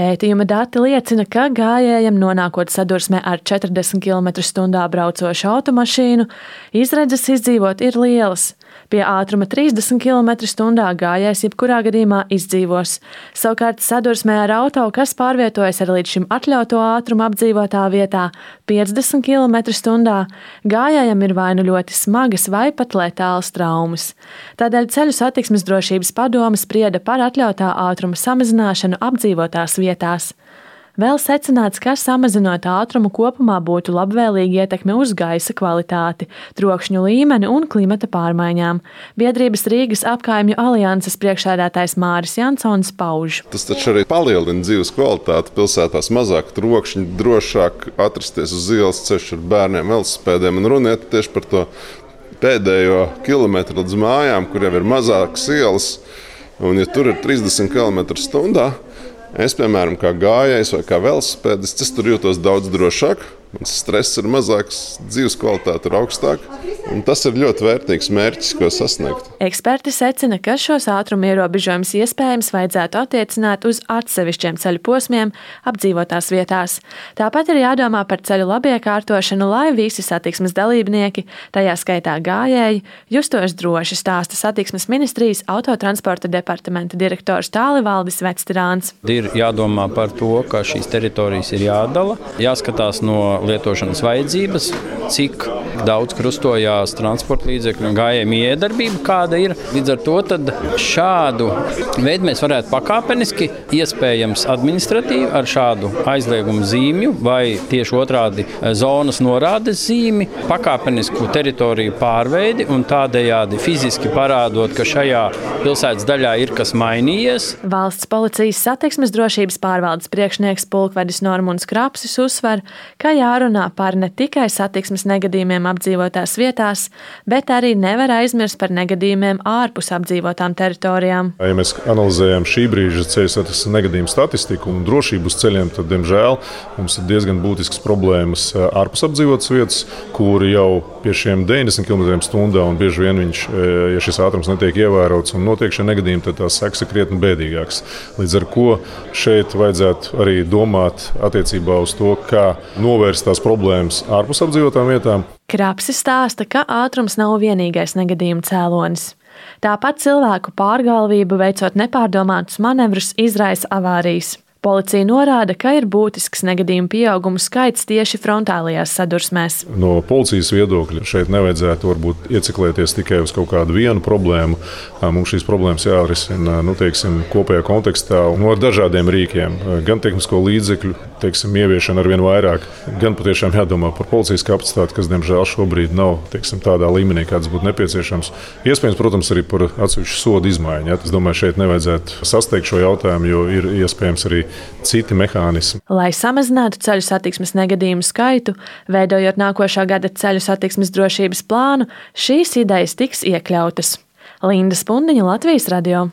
Pētījuma dati liecina, ka gājējam nonākot sadursmē ar 40 km/h braucošu automašīnu, izredzes izdzīvot ir lielas. Pie ātruma 30 km/h gājējs jebkurā gadījumā izdzīvos. Savukārt sadursmē ar auto, kas pārvietojas ar līdz šim atļauto ātrumu apdzīvotā vietā 50 km/h, gājējam ir vai nu ļoti smagas vai pat letālas traumas. Tādēļ Ceļu satiksmes drošības padome sprieda par atļautā ātruma samazināšanu apdzīvotās vietās. Vēl secināts, ka samazinot ātrumu kopumā būtu labvēlīga ietekme uz gaisa kvalitāti, trokšņu līmeni un klimata pārmaiņām. Biedrības Rīgas apkaimju alianses priekšsēdētājs Māris Jansons pauž. Tas taču arī palielina dzīves kvalitāti. Pilsētās mazāk trokšņi, drošāk atrasties uz ielas ceļš ar bērniem, velosipēdiem un runiet tieši par to pēdējo kilometru līdz mājām, kur jau ir mazākas ielas. Un ja tur ir 30 km/h, es, piemēram, kā gājējs vai kā velosipēdists, es tur jūtos daudz drošāk. Mans stress ir mazāks, dzīves kvalitāte ir augstāka. Un tas ir ļoti vērtīgs mērķis, ko sasniegt. Eksperti secina, ka šos ātruma ierobežojumus iespējams vajadzētu attiecināt uz atsevišķiem ceļu posmiem apdzīvotās vietās. Tāpat ir jādomā par ceļu labiekārtošanu, lai visi satiksmes dalībnieki, tajā skaitā gājēji, justos droši, stāsta satiksmes ministrijas autotransporta departamenta direktors Tālivaldis Vectirāns. Ir jādomā par to, ka šīs teritorijas ir jādala, jāskatās no lietošanas vajadzības, cik daudz krustojās transporta līdzekļu un gājēju iedarbība, kāda ir. Līdz ar to tad šādu veidu mēs varētu pakāpeniski, iespējams administratīvi ar šādu aizliegumu zīmju vai tieši otrādi zonas norādes zīmi, pakāpenisku teritoriju pārveidi un tādējādi fiziski parādot, ka šajā pilsētas daļā ir kas mainījies. Valsts policijas satiksmes drošības pārvaldes priekšnieks pulkvedis Normunds Krapsis uzsver, ka jārunā par ne tikai satiksmes negadījumiem apdzīvotās vietās, bet arī nevar aizmirst par negadījumiem ārpus apdzīvotām teritorijām. Ja mēs analizējam šī brīža ceļu satiksmes negadījumu statistiku un drošību uz ceļiem, tad, diemžēl, mums ir diezgan būtiskas problēmas ārpus apdzīvotas vietas, kur jau pie šiem 90 km/h un bieži vien ja šis ātrums netiek ievērots un notiek šie negadījumi, tad tās sekas ir krietni bēdīgākas. Līdz ar ko šeit vajadzētu arī domāt attiecībā uz to, kā novērst tās problēmas ārpus apdzīvotām vietām. Krapsis stāsta, ka ātrums nav vienīgais negadījuma cēlonis. Tāpat cilvēku pārgalvību veicot nepārdomātus manevrus izraisa avārijas. Policija norāda, ka ir būtisks negadījumu pieaugumu skaits tieši frontālajās sadursmēs. No policijas viedokļa šeit nevajadzētu varbūt ieciklēties tikai uz kaut kādu vienu problēmu. Mums šīs problēmas jārisina kopējā kontekstā un ar dažādiem rīkiem. Gan tehnisko līdzekļu ieviešana ar vien vairāk, gan patiešām jādomā par policijas kapacitāti, kas, diemžēl, šobrīd nav tādā līmenī, kāds būtu nepieciešams. Iespējams, protams, arī par atsevišķu sodu izmaiņu. Es domāju, šeit nevajadzētu sasteigt šo jautājumu, jo ir iespējams arī citi mehānismi. Lai samazinātu ceļu satiksmes negadījumu skaitu, veidojot nākošā gada ceļu satiksmes drošības plānu, šīs idejas tiks iekļautas. Linda Spundiņa, Latvijas radio.